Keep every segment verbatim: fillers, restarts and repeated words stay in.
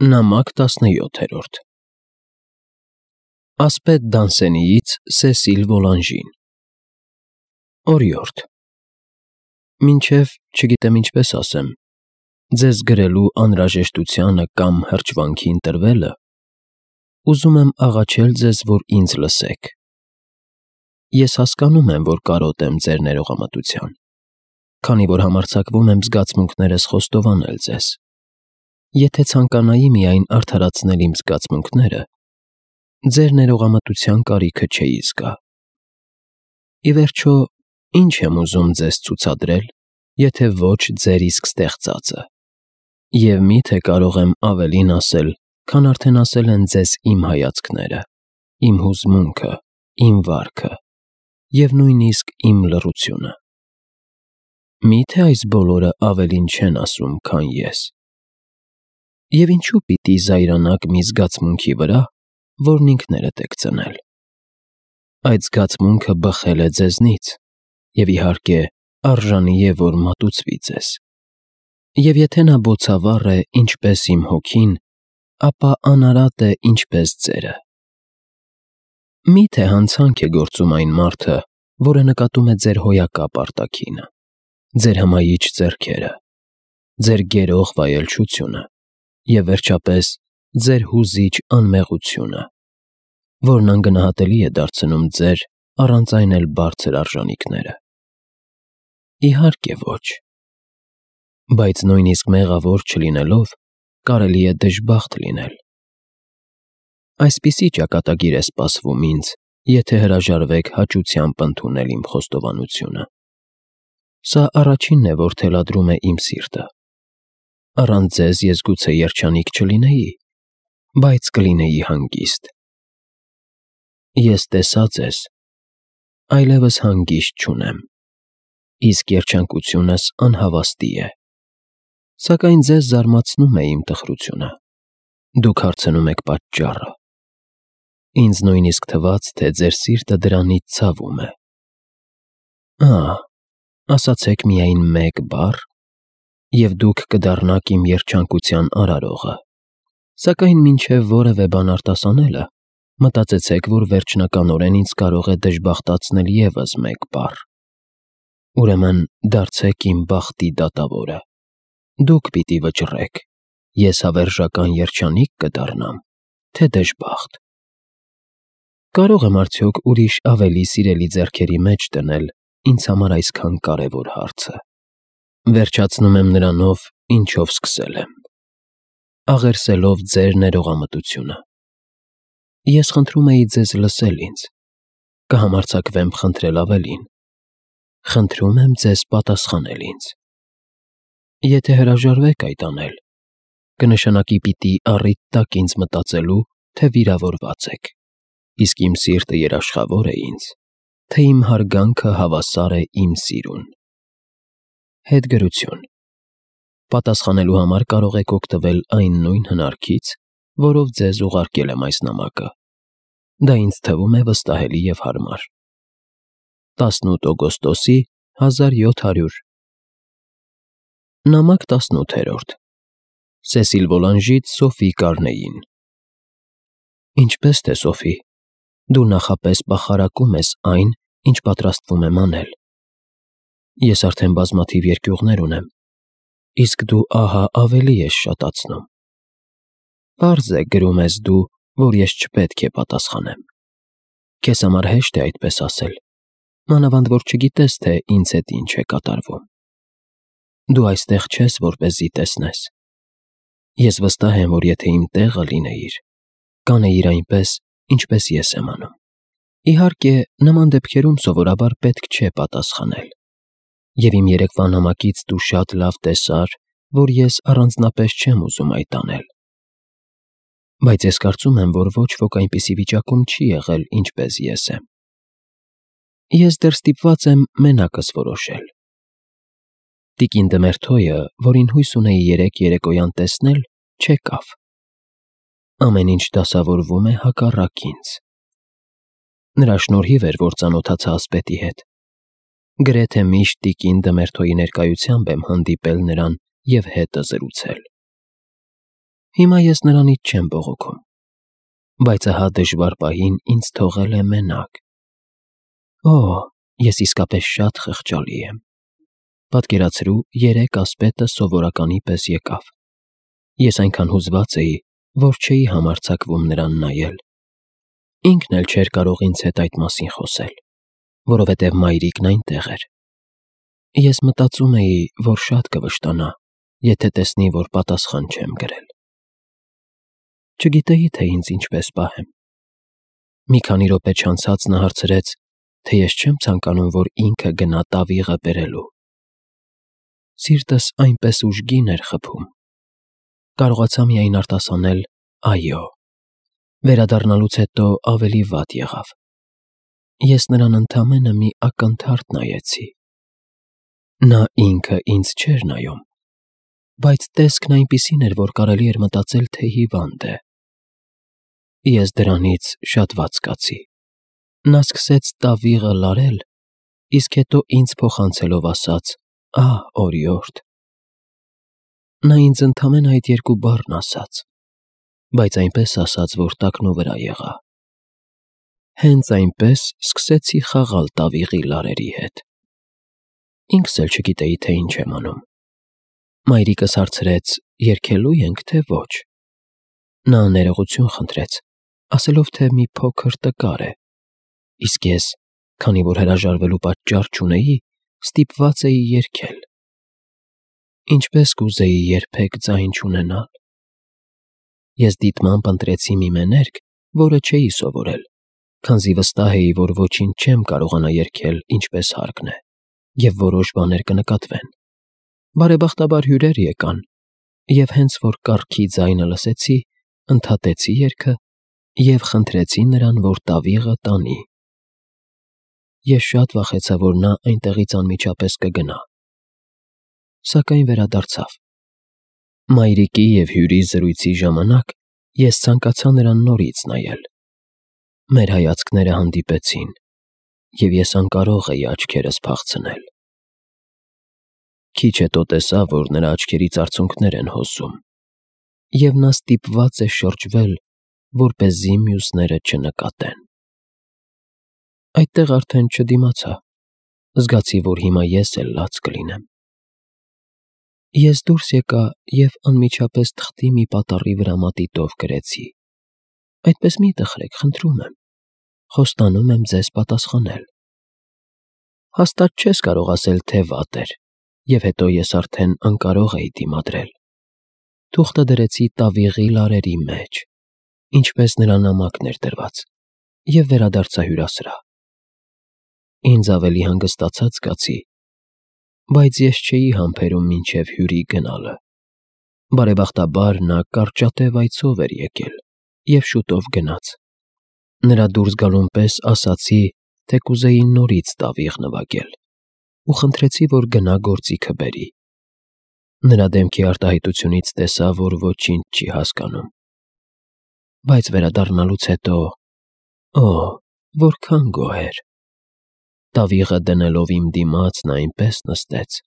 Նամակ տասնյոթերորդ Ասպետ Դանսենիից Սեսիլ Վոլանժին Օրիորդ Մինչև չգիտեմ ինչպես ասեմ, ձեզ գրելու անհրաժեշտությանը կամ հրճվանքի ընտրվելը, ուզում եմ աղաչել ձեզ, որ ինձ լսեք։ Ես հասկանում եմ, որ կարոտ եմ ձեր ներողամտության, քանի որ համարձակվում եմ զգացմունքներս խոստովանել ձեզ։ Եթե ցանկանայի միայն արդարացնել իմ զգացմունքները, ձեր ներողամտության կարիքը չէի զգա։ Ի վերջո, ինչ եմ ուզում ձեզ ցուցադրել, եթե ոչ ձեր իսկ ստեղծածը, և մի՞թե կարող եմ ավելին ասել, քան արդեն ասել են ձեզ իմ հայացքները, իմ հուզմունքը, իմ վարքը և նույնիսկ իմ լռությունը։ Մի՞թե այս բոլորը ավելին չեն ասում, քան ես։ Եվ ինչու պիտի զայրանաք մի զգացմունքի վրա, որն ինքներդ եք ծնել։ Այդ զգացմունքը բխել է ձեզնից, և իհարկե արժանի է, որ մատուցվի ձեզ։ Եվ եթե նա բոցավառ է, ինչպես իմ հոգին, ապա անարատ է, ինչպես ձերը։ Մի՞թե հանցանք է գործում այն մարդը, որը նկատում է ձեր հոյակապ արտաքինը, ձեր հմայիչ ձեռքերը, ձեր գերող վայելչությունը և, վերջապես, ձեր հուզիչ անմեղությունը, որն անգնահատելի է դարձնում ձեր առանց այն էլ բարձր արժանիքները։ Իհարկե ոչ։ Բայց նույնիսկ մեղավոր չլինելով, կարելի է դժբախտ լինել։ Այսպիսի ճակատագիր է սպասվում ինձ, եթե հրաժարվեք հաճությամբ ընդունել իմ խոստովանությունը։ Սա առաջինն է, որ թելադրում է իմ սիրտը։ Առանց ձեզ ես գուցե երջանիկ չլինեի, բայց կլինեի հանգիստ։ Ես տեսա ձեզ, այլևս հանգիստ չունեմ, իսկ երջանկությունս անհավաստի է։ Սակայն ձեզ զարմացնում է իմ տխրությունը, դուք հարցնում եք պատճառը։ Ինձ նույնիսկ թվաց, թե ձեր սիրտը դրանից ցավում է։ Ահ, ասացեք միայն մեկ բառ, և դուք կդառնաք իմ երջանկության արարողը։ Սակայն մինչև որևէ բան արտասանելը, մտածեցեք, որ վերջնականորեն ինձ կարող է դժբախտացնել ևս մեկ բառ։ Ուրեմն դարձեք իմ բախտի դատավորը։ Դուք պիտի վճռեք, ես հավերժական երջանի՞կ կդառնամ, թե դժբախտ։ Կարո՞ղ եմ արդյոք ուրիշ ավելի սիրելի ձեռքերի մեջ դնել ինձ համար այսքան կարևոր հարցը։ Վերջացնում եմ նրանով, ինչով սկսել եմ, աղերսելով ձեր ներողամտությունը։ Ես խնդրում էի ձեզ լսել ինձ, կհամարձակվեմ խնդրել ավելին։ Խնդրում եմ ձեզ պատասխանել ինձ։ Եթե հրաժարվեք այդ անել, կնշանակի պիտի առիթ տաք ինձ մտածելու, թե վիրավորված եք, իսկ իմ սիրտը երաշխավոր է ինձ, թե իմ հարգանքը հավասար է իմ սիրուն։ Հետգրություն։ Պատասխանելու համար կարող եք օգտվել այն նույն հնարքից, որով ձեզ ուղարկել եմ այս նամակը։ Դա ինձ թվում է վստահելի և հարմար։ տասնութ օգոստոսի հազար յոթ հարյուր Նամակ տասնութերորդ Սեսիլ Վոլանժից Սոֆի Կարնեին Ինչպե՞ս թե, Սոֆի, դու նախապես բախարակում ես այն, ինչ պատրաստվում եմ անել։ Ես արդեն բազմաթիվ երկյուղներ ունեմ, իսկ դու ահա ավելի ես շատացնում։ Պարզ է, գրում ես դու, որ ես չպետք է պատասխանեմ։ Քեզ համար հեշտ է այդպես ասել, մանավանդ որ չգիտես, թե ինձ հետ ինչ է կատարվում։ Դու այստեղ չես, որպեսզի տեսնես։ Ես վստահ եմ, որ եթե իմ տեղը լինեիր, կանեիր այնպես, ինչպես ես եմ անում։ Իհարկե, նման դեպքերում սովորաբար պետք չէ պատասխանել։ Եվ իմ երեկվա նամակից դու շատ լավ տեսար, որ ես առանձնապես չեմ ուզում այդ անել։ Բայց ես կարծում եմ, որ ոչ ոք այնպիսի վիճակում չի եղել, ինչպես ես եմ։ Ես դեռ ստիպված եմ մենակս որոշել։ Տիկին Դմերթոյը, որին հույս ունեի երեկ երեկոյան տեսնել, չեկավ։ Ամեն ինչ դասավորվում է հակառակ ինձ։ Նրա շնորհիվ էր, որ ծանոթացա ասպետի հետ։ Գրեթե միշտ տիկին Դմերթոյի ներկայությամբ եմ հանդիպել նրան և հետը զրուցել։ Հիմա ես նրանից չեմ բողոքում, բայց ահա դժվար պահին ինձ թողել է մենակ։ Օ, ես իսկապես շատ խղճալի եմ։ Պատկերացրու, երեկ ասպետը սովորականի պես եկավ։ Ես այնքան հուզված էի, որ չէի համարձակվում նրան նայել։ Ինքն էլ չէր կարող ինձ հետ այդ մասին խոսել, որովհետև մայրիկն այնտեղ էր։ Ես մտածում էի, որ շատ կվշտանա, եթե տեսնի, որ պատասխան չեմ գրել։ Չգիտեի, թե ինձ ինչպես պահեմ։ Մի քանի րոպե չանցած նա հարցրեց, թե ես չեմ ցանկանում, որ ինքը գնա տավիղը բերելու։ Սիրտս այնպես ուժգին էր խփում։ Կարողացա միայն արտասանել այո։ Վերադառնալուց հետո ավելի վատ եղավ։ Ես նրան ընդամենը մի ակնթարթ նայեցի։ Նա ինքը ինձ չէր նայում, բայց տեսքն այնպիսին էր, որ կարելի էր մտածել, թե հիվանդ է։ Ես դրանից շատ վատ զգացի։ Նա սկսեց տավիղը լարել, իսկ հետո ինձ փոխանցելով ասաց. «Ահ, օրիորդ»։ Նա ինձ ընդամենը այդ երկու բառն ասաց, բայց այնպես ասաց, որ տակնու վրա եղա։ Հենց այնպես սկսեցի խաղալ տավիղի լարերի հետ։ Ինքս էլ չգիտեի, թե ինչ եմ անում։ Մայրիկս հարցրեց. «Երգելու ենք, թե ոչ»։ Նա ներողություն խնդրեց, ասելով, թե մի փոքր տկար է, իսկ ես, քանի որ հրաժարվելու պատճառ չունեի, ստիպված էի երգել։ Ինչպես կուզեի երբեք ձայն չունենալ։ Ես դիտմամբ ընտրեցի մի մեներկ, որը չէի սովորել, քանզի վստահ էի, որ ոչինչ չեմ կարողանա երգել ինչպես հարկն է, և որոշ բաներ կնկատվեն։ Բարեբախտաբար հյուրեր եկան, և հենց որ կառքի ձայնը լսեցի, ընդհատեցի երգը և խնդրեցի նրան, որ տավիղը տանի։ Ես շատ վախեցա, որ նա այնտեղից անմիջապես կգնա։ Սակայն վերադարձավ։ Մայրիկի և հյուրի զրույցի ժամանակ ես ցանկացա նրան նորից նայել։ Մեր հայացքները հանդիպեցին, և ես անկարող էի աչքերս փախցնել։ Քիչ հետո տեսա, որ նրա աչքերից արցունքներ են հոսում, և նա ստիպված է շրջվել, որպեսզի մյուսները չնկատեն։ Այդտեղ արդեն չդիմացա, զգացի, որ հիմա ես էլ լաց կլինեմ։ Ես դուրս եկա և անմիջապես թղթի մի պատառի վրա մատիտով գրեցի. «Այդպես մի տխրեք, խնդրում եմ, խոստանում եմ ձեզ պատասխանել»։ Հաստատ չես կարող ասել, թե վատ էր, և հետո ես արդեն անկարող էի դիմադրել։ Թուղթը դրեցի տավիղի լարերի մեջ, ինչպես նրա նամակն էր դրված, և վերադարձա հյուրասրահ։ Ինձ ավելի հանգստացած զգացի, բայց ես չէի համբերում մինչև հյուրի գնալը։ Բարեբախտաբար նա կարճատև այցով էր եկել և շուտով գնաց։ Նրա դուրս գալուն պես ասացի, թե կուզեի նորից տավիղ նվագել, ու խնդրեցի, որ գնա գործիքը բերի։ Նրա դեմքի արտահայտությունից տեսա, որ ոչինչ չի հասկանում։ Բայց վերադառնալուց հետո, օ, որքան գոհ էր։ Տավիղը դնելով իմ դիմաց նա այնպես նստեց,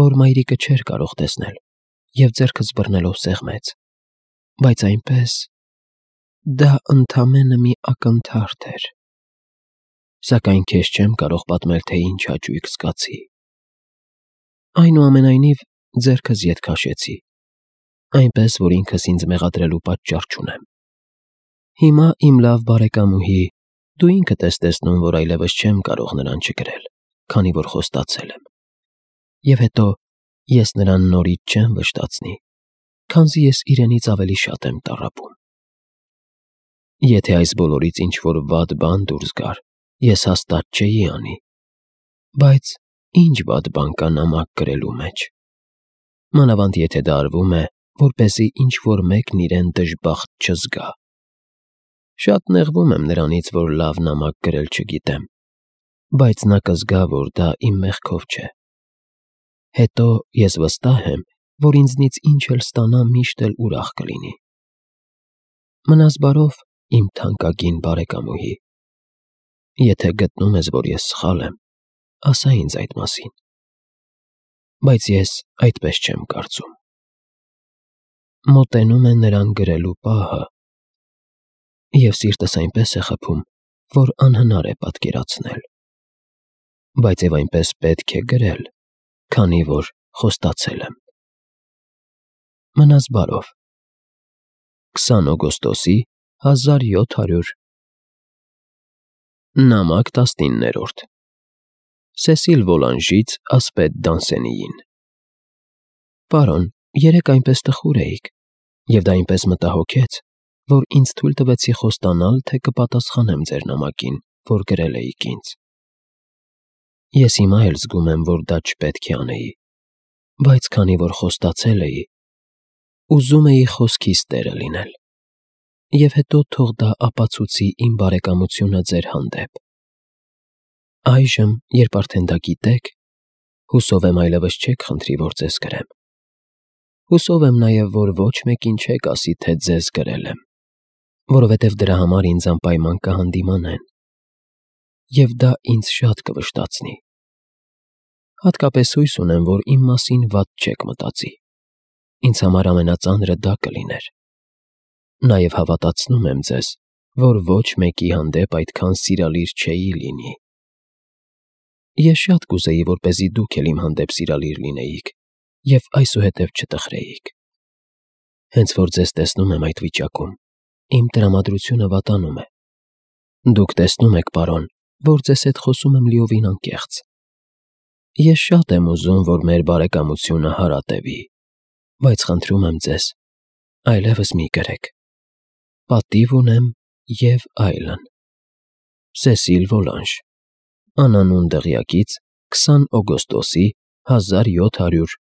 որ մայրիկը չէր կարող տեսնել, և ձեռքս բռնելով սեղմեց, բայց այնպես… Դա ընդամենը մի ակնթարթ էր։ Սակայն քեզ չեմ կարող պատմել, թե ինչ հաճույք զգացի։ Այնուամենայնիվ, ձեռքս ետ քաշեցի, այնպես, որ ինքս ինձ մեղադրելու պատճառ չունեմ։ Հիմա, իմ լավ բարեկամուհի, դու ինքդ ես տեսնում, որ այլևս չեմ կարող նրան չգրել, քանի որ խոստացել եմ։ Եվ հետո ես նրան նորից չեմ վշտացնի, քանզի ես իրենից ավելի շատ եմ տառապում։ Եթե այս բոլորից ինչ-որ վատ բան դուրս գար, ես հաստատ չէի անի։ Բայց ի՞նչ վատ բան կա նամակ գրելու մեջ։ Մանավանդ եթե դա արվում է, որպեսզի ինչ-որ մեկն իրեն դժբախտ չզգա։ Շատ նեղվում եմ նրանից, որ լավ նամակ գրել չգիտեմ, բայց նա կզգա, որ դա իմ մեղքով չէ։ Հետո ես վստահ եմ, որ ինձնից ինչ էլ ստանա, միշտ էլ ուրախ կլինի։ Մնաս բարով, իմ թանկագին բարեկամուհի։ Եթե գտնում ես, որ ես սխալ եմ, ասա ինձ այդ մասին։ Բայց ես այդպես չեմ կարծում։ մոտենում է նրան գրելու պահը, և սիրտս այնպես է խփում, որ անհնար է պատկերացնել, բայց և այնպես պետք է գրել, քանի որ խոստացել եմ։ Մնաս բարով։ քսան օգոստոսի հազար յոթ հարյուր Նամակ տասնիններորդ Սեսիլ Վոլանժից ասպետ Դանսենիին։ Պարոն, երեկ այնպես տխուր էիք, և դա այնպես մտահոգեց, որ ինձ թույլ տվեցի խոստանալ, թե կպատասխանեմ ձեր նամակին, որ գրել էիք ինձ։ Ես հիմա էլ զգում եմ, որ դա չպետք է անեի, բայց քանի որ խոստացել էի, ուզում էի խոսքիս տերը լինել, և հետո թող դա ապացուցի իմ բարեկամությունը ձեր հանդեպ։ Այժմ, երբ արդեն դա գիտեք, հուսով եմ այլևս չեք խնդրի, որ ձեզ գրեմ։ Հուսով եմ նաև, որ ոչ մեկին չեք ասի, թե ձեզ գրել եմ, որովհետև դրա համար ինձ անպայման կհանդիմանեն, և դա ինձ շատ կվշտացնի։ Հատկապես հույս ունեմ, որ իմ մասին վատ չեք մտածի, ինձ համար ամենածանրը դա կլիներ։ Նաև հավատացնում եմ ձեզ, որ ոչ մեկի հանդեպ այդքան սիրալիր չէի լինի։ Ես շատ կուզեի, որպեսզի դուք էլ իմ հանդեպ սիրալիր լինեիք և այսուհետև չտխրեիք։ Հենց որ ձեզ տեսնում եմ այդ վիճակում, իմ տրամադրությունը վատանում է։ Դուք տեսնում եք, պարոն, որ ձեզ հետ խոսում եմ լիովին անկեղծ։ Ես շատ եմ ուզում, որ մեր բարեկամությունը հարատևի, բայց խնդրում եմ ձեզ, այլևս մի գրեք։ Պատիվ ունեմ և այլն։ Սեսիլ Վոլանժ, անանուն դղյակից քսան օգոստոսի հազար յոթ հարյուր